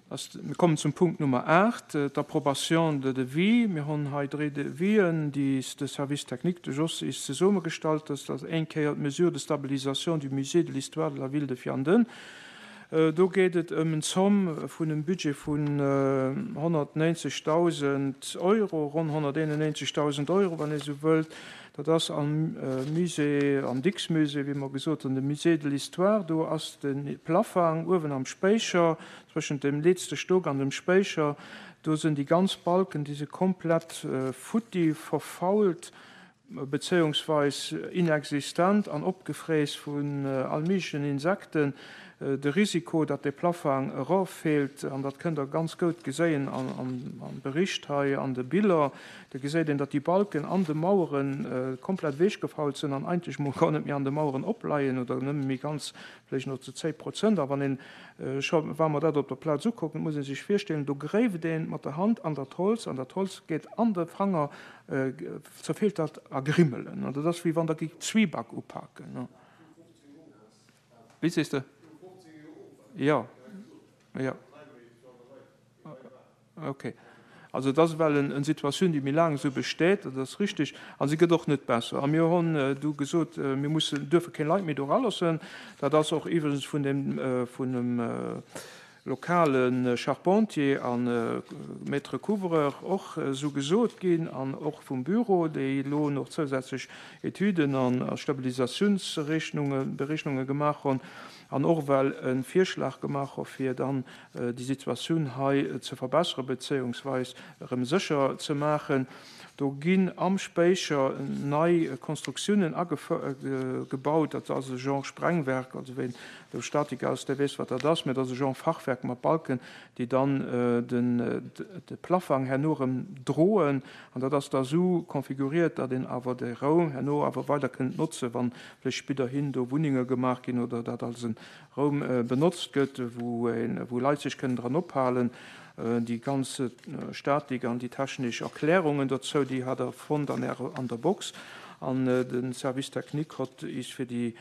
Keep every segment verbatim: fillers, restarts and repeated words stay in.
Mir kommen zum Punkt Nummer aacht, d'Approbation de devis. Mir hunn hei dréi Devisen, déi de Service technique de Jos is zesummegestallt huet. Dat ass eng Kéier d'Mesure de stabilisation du musée de l'histoire de la ville de Vianden. Do geet et ëm en Zomm vun engem Budget vun honnertneunzegdausend Euro, ronn honnerteenennéinzegdausend Euro, wann ee sou wëllt. Dat ass am Musée, am Dicks-Musée, wéi mer gesot hunn, de Musée de l'Histoire. Do ass de Plaffang uewen am Spéicher, zwëschent dem letzte Stock an dem Spéicher. Do sinn déi ganz Balken, déi si komplett futti, verfault, bezéiungsweis inexistent an opgefräss vun all méiglechen Insekten. De Risiko, datt de Plaffang eroffält, an dat kënnt Der ganz goud geséien am Bericht hei an de Biller, do geséit een, datt déi Balken an de Mauere komplett ewechgefault sinn an eigentlech mol gar net méi an de Maueren opleien oder nëmme méi ganz vläicht nach zu zéng Prozent. A wann een scho, wa mer dat op der Plaz ukucken, muss ee sech virstellen, do gréift ee mat der Hand an dat Holz an dat Holz geet an de Fanger, zerfeelt dat a Grimmelen. An dat ass wéi wann Der géift Zwieback upaken. Wéi sees de? Jo, jo. Okay. Also et ass ewell en Situatioun, déi méi laang esou besteet, dat ass richtig, a se gëtt och net besser. A mir hunn du gesot, mir mussen, duerfe keng Leit méi do eraloossen. Dat ass och iwwregens vun dem, vun dem lokale Charpentier a Maître couvreur och esou gesot ginn an och vum Büro, déi elo nach zousätzlech Etüden a Stabilisatiounsrechnunge, Berechnunge gemaach hunn an och well e Virschlag gemaach hu fir dann déi Situatioun hei ze verbessere bezéiungsweis erëm sécher ze maachen. Do ginn am Spéicher nei Konstruktiounen gebaut. Dat ass e Genre Sprengwerk, also ween do Statiker ass, dee weess, wat dat ass, mä dat ass e Genre Fachwerk mat Balken, déi dann de Plaffang herno erëm droen. An dat ass da esou konfiguriert, datt een awer de Raum herno awer weider kënnt notzen, wann vläicht spidderhin do Wunnenge gemaach ginn oder dat als e Raum benotzt gëtt, wou Leit sech kënnen dran ophalen. Déi ganz Statik an déi technesch Erklärungen dozou, déi hat Der fonnt an Ärer, an der Box. An de Service technique hott is fir déi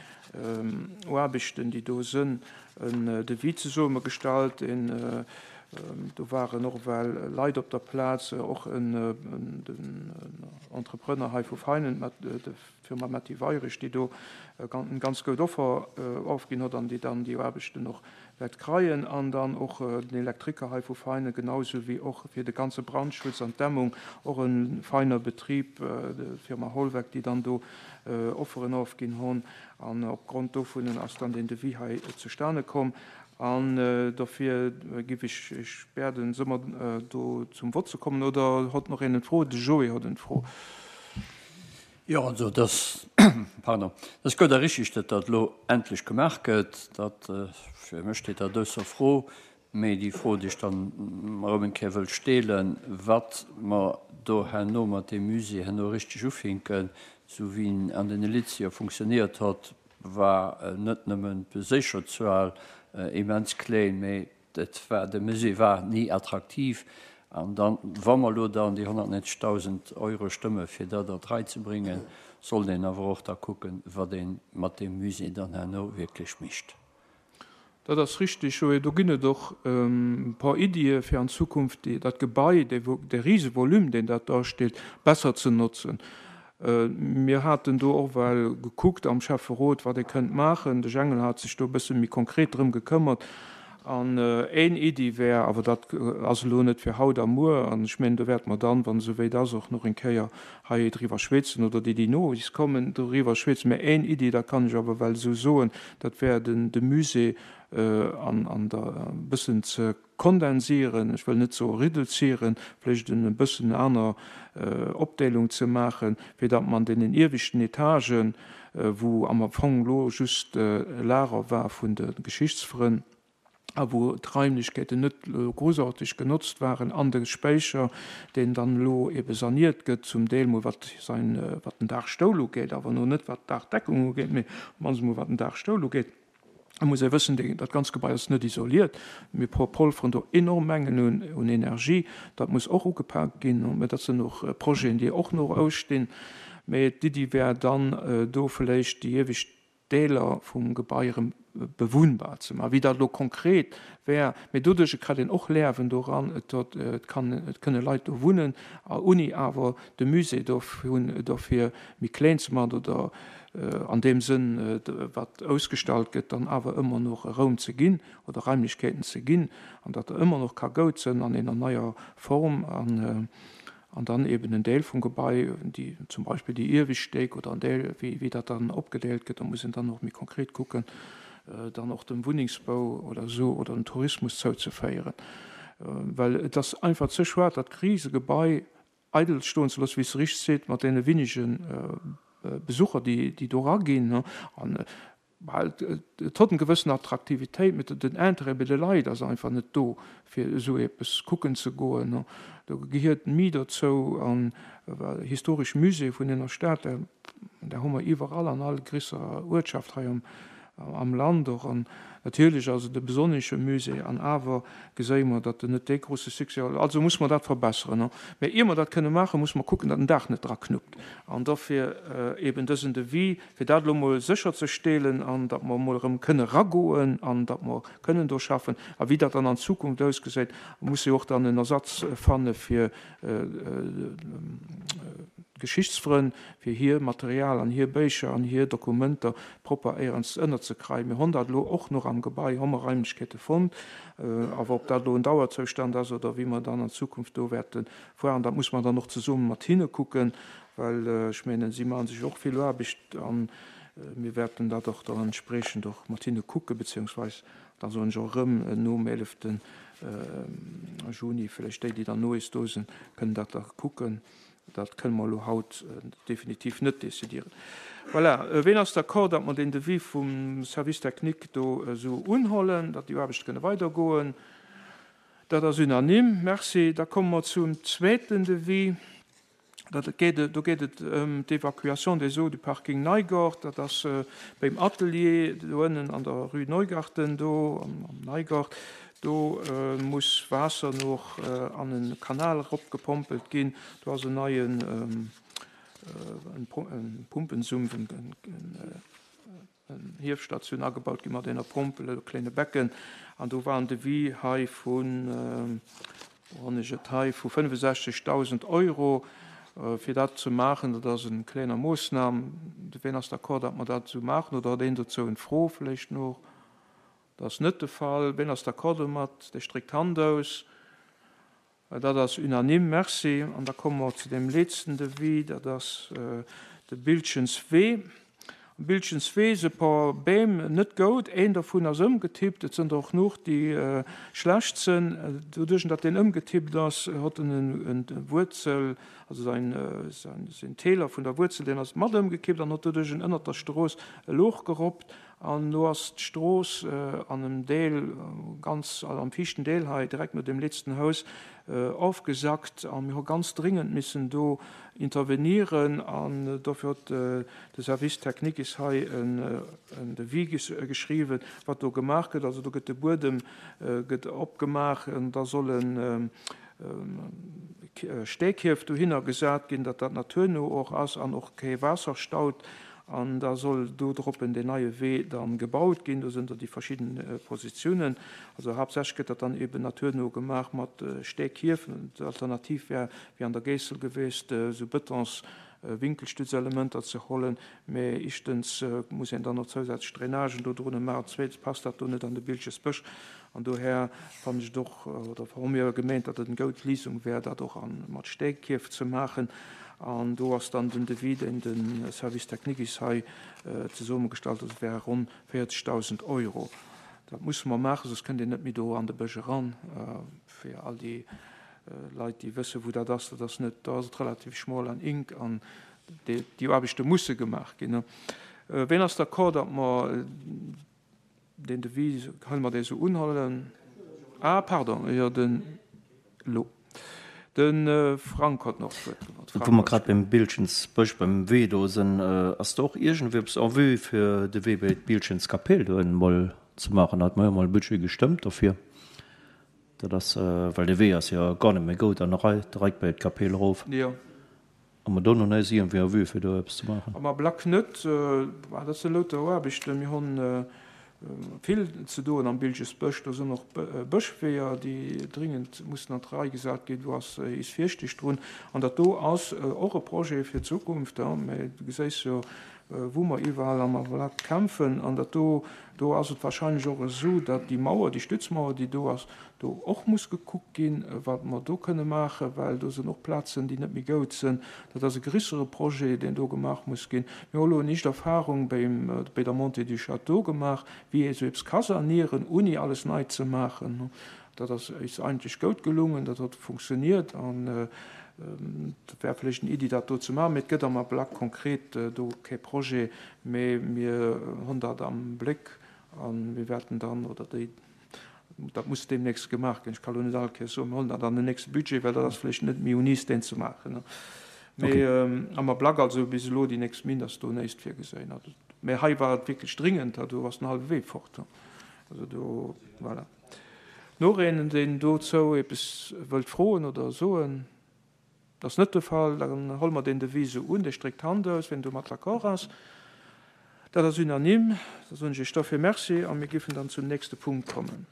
Aarbechten, déi do sënn, en Devis zesummegestallt. En, do waren och ewell Leit op der Plaz, och en, den Entrepreneur hei vu Veinen, de Firma Metty Weirich, déi do eng ganz goud Offer ofginn hott an déi dann déi Aarbechten och wäert kreien, an dann och den Elektriker hei vu Veinen, genau sou wéi och fir de ganze Brandschutz an d'Dämmung och e feiner Betrib, d'Firma Holweck, déi dann do Offeren ofginn hunn. An opgrond dovunnen ass dann deen Devis hei zustane komm. An dofir giff ech Iech bäerden, soe mer do zum Vott ze kommen, oder hott nach een en Fro? De Joé hott en Fro. Jo, also et ass, pardon, et ass gutt a richtig, datt dat elo endlech gemaach gëtt. Dat, fir mech steet dat ausser Fro. Mee déi Fro, déi ech dann erëm eng Kéier wëll steelen, wat mer do herno mat deem Musée herno richtig ufinken, esou wéi en an den Elitzejoer funktioniert hott, war net nëmmen d'Beséicherzuel immens kléin, mee Et war, de Musée war ni attraktiv. An dann, wa mer elo dann déi honnertneunzegdausend Euro stëmme fir dat an d'Rei ze bréngen, sollt een awer och da kucken, wat ee mat deem Musée dann herno wierklech mécht. Dat ass richtig, Joé. Do ginn et och e paar Iddie fir an Zukunft dat Gebai, dee Risevolume, deen dat darstellt, besser ze notzen. Mir haten do och well gekuckt am Schäfferot, wat ee kënnt maachen. De Jengel hat sech do e bësse méi konkret drëm gekëmmert. An een Iddi wär, awer dat ass elo net fir haut a muer, an ech mengen, do wäerte mer dann, wann esou wéit ass, och nach eng Kéier hei driwwer schwätzen, oder déi, déi no is kommen, doriwwer schwätzen, mä een Iddi, dat kann ech awer well esou soen, dat wär den de Musée an an der e bëssen ze kondensieren, ech wëll net soe reduzieren, vläicht en e bëssen aner Opdeelung ze maachen, fir datt mer an deenen ieweschten Etagen, wou am Fong elo just e Lager war vun de Geschichtsfrënn a wou d'Raimlechkeeten net elo großartig genotzt waren, an de Spéicher, deen dann elo ebe saniert gëtt, zum Deel mol wat säin, wat den Daachstoul ugeet, awer elo net wat d'Daachdeckung ugeet, mee op d'mannst emol wat den Daachstoul ugeet. Et muss ee wëssen, dat ganz Gebai ass net isoliert. Mir polferen do enorm Mengen un Energie. Dat muss och ugepaakt ginn. Mä dat sinn och Projeten, déi och nach ausstinn. Mä d'Iddi wär dann, do vläicht déi iewescht Deeler vum Gebai erëm bewunnbar ze maachen. Wéi dat elo konkret wär, mee doduerch kritt een och Lerwen doran, et dort, et kann, et kënne Leit do wunnen, ouni awer de Musée dovun, dofir méi kléin ze maachen oder an deem Sënn, wat ausgestallt gëtt, dann awer ëmmer nach e Raum ze ginn oder Raimlechkeeten ze ginn, an datt e ëmmer noch ka goud sinn an enger neier Form an, an dann eben en Deel vum Gebai, déi, zum Beispill déi iewescht Stéck oder en Deel, wéi, wéi dat dann opgedeelt gëtt, da muss een dann och méi konkret kucken, dann och dem Wunnengsbau oder esou oder dem Tourismus zouzeféieren. Well et ass einfach ze schued, dat Krisegebai eidel stoen ze loossen, wéi s de richteg seet, mat deene wéinege Besucher, déi, déi do eraginn. An et huet eng gewëssen Attraktivitéit, mee den Intérêt bei de Leit ass einfach net do, fir esou eppes kucken ze goen. Do gehiert méi dozou. An historesch Musée vun enger Stad, där hu mer iwwerall an all gréisserer Uertschaft hei am am Land och. An natierlech ass et e besonnesche Musée, an awer geséie mer, datt en net dee grouse Succès huet. Also muss mer dat verbesseren. Mä ier mer dat kënne maachen, muss mer kucken, datt den Daach net draknuppt. An dofir eben dësen Devis, fir dat elo emol sécherzestelen an datt mer emol erëm kënne eragoen an datt mer kënnen do schaffen. A wéi dat dann an Zukunft ausgesäit, muss jo och dann en Ersatz fanne fir d'Geschichtsfrënn, fir hir Material an hir Béicher an hir Dokumenter propper éierens ënnerzekreien. Mir honn dat elo och nach am Gebai, hu mer Raimlechkeete fonnt, awer ob dat elo en Dauerzoustand ass oder wéi mer dann an Zukunft do wäerte fueren, dat muss mer dann och zesumme mat hinne kucken, well ech mengen, si maache sech och vill Aarbecht a mir wäerten dat och dann entspriechend och mat hinne kucken, beziehungsweis da soen ech och erëm nom eelefte Juni, vläicht déi, déi dann no eis do sinn, kënnen dat da kucken. Dat kënne mer elo haut definitiv net décidieren. Voilà. Ween ass d'accord, datt mer deen Devis vum Service technique do esou unhollen, datt déi Aarbechte kënne weidergoen? Dat ass unanime. Merci. Da komme mer zum zweeten Devis. Dat geet, do geet et ëm d'Évacuation des eaux du Parking Neigort. Dat ass beim Atelier do ënnen an der Rue Neugarten do am Neigort. Do muss Waasser noch an en Kanal eropgepompelt ginn. Do ass en neien Pumpensumpf, en Hiefstatioun agebaut ginn mat enger Pompel, e kléine Becken. An do war en Devis hei vun, wou hunn ech et hei, vu fënnefensechzegdausend Euro fir dat ze maachen. Dat ass eng kleiner Moossnam. Ween ass d'accord, datt mer dat esou maachen? Oder huet een dozou eng Fro vläicht nach? Dat ass net de Fall. Ween ass d'accord domat? Dee stréckt d'Hand aus. Dat ass unanime. Merci. An da komme mer zu deem letzten Devis. Dat ass de Biltgens Wee. Am Biltgens Wee si e paar Beem net goud. Een dovun ass ëmgetippt. Et sinn der och genuch, déi schlecht sinn. Doduerch, datt deen ëmgetippt ass, huet en en Wuerzel, also säin, säin Teeler vun der Wuerzel, deen ass mat ëmgekippt an huet doduerch ënnert der Strooss e Louch geroppt. An do ass d'Strooss an em Deel, ganz am viischten Deel hei, direkt no deem letzten Haus, ofgesackt. A mir hu ganz dringend missen do intervenieren. An dofir huet de Service technique is hei en Devis geschriwwen, wat do gemaach gëtt. Also do gëtt de Buedem gëtt opgemaach an da sollen Steekierf dohinner gesat ginn, datt dat naturno och ass an och kee Waasser staut. An da soll do droppen deen neie Wee dann gebaut ginn. Do sinn der déi verschidden Positiounen. Also haaptsächlech gëtt dat dann eben naturno gemaach mat Steekierfen. D'Alternativ wär wéi an der Géissel geweest, esou Betons Winkelstützelementer ze hollen. Mä éischtens muss een dann nach zousätzlech Drainagen do drunne maachen, zweetens passt dat do net an de Biltgesbësch. An dohär fannen ech et och, oder hu mir gemeent, datt et eng goud Lisung wär, dat och mat Steekierf ze maachen. An do ass dann den Devis, deen de Service technique is hei zesummegestallt huet, dat wäre ronn véierzegdausend Euro. Dat musse mer maachen, soss kënnt een net méi do an de Bësch eran. Fir all déi Leit, déi wëssen, wou dat ass, dat ass net, do ass et relativ schmol an enk an déi Aarbechte musse gemaach ginn. Ween ass d'accord, datt mer deen Devis, kënne mer dee sou unhuelen? Ah, pardon, jo, den elo. De Frank huet nach d'Wuert geholl. Wou mer grad beim Biltgensbësch, beim Wee do sinn, ass do och iergendwéi eppes en vue fir de Wee bei d'Biltgenskapell do emol ze maachen? Hate mer jo emol e Budget gestëmmt dofir. Dat ass, well dee Wee ass jo gar net méi goud an direkt bei d'Kapell erof. Jo. Hu mer do nach näischt iergendwéi en vue fir do eppes ze maachen? Am Ablack net. Dat si louter Aarbechten. Mir hunn vill ze doen am Bilgesbësch. Do sinn och Bëschweeër, déi dringend mussen an d'Rei gesat ginn. Do ass is Fierschteg drun. An dat do ass och e Projet fir d'Zukunft, mä du geséis jo, wou mer iwwerall am Ablack kämpfen. An dat do, do ass et wahrscheinlech och esou, datt déi Mauer, déi Stützmauer, déi do ass, do och muss gekuckt ginn, wat mer do kënne maachen, well do sinn och Plazen, déi net méi goud sinn. Dat ass e grissere Projet, deen do gemaach muss ginn. Mir hu elo en éischt Erfahrung beim, bei der Montée du Château gemaach, wéi ee sou eppes ka sanieren, ouni alles nei ze maachen. Dat ass eis eigentlech goud gelungen, dat huet funktioniert an dat wär vläicht eng Iddi, dat do ze maachen. Mee et gëtt am Ablack konkret do kee Projet, mee mir hunn dat am Bléck a mir wäerten dann, oder déi, dat muss deemnächst gemaach ginn, ech ka lo net all Kéiers soen, mir huelen dat an den nächste Budget, well dat ass vläicht net méi un is, deen ze maachen. Mee am Ablack, also bis elo déi nächst Minn, ass do näischt virgesinn. Mee hei war et wierklech dringend, do ass den hallwe Wee fort. Also do, voilà. Nach een, deen dozou eppes wëllt froen oder soen? Dat ass net de Fall. Dann huele mer deen Devis esou un. Dir streckt d'Hand aus, wien domat d'accord ass. Dat ass unanime. Da soen ech Iech dofir Merci a mir géifen dann zum nächste Punkt kommen.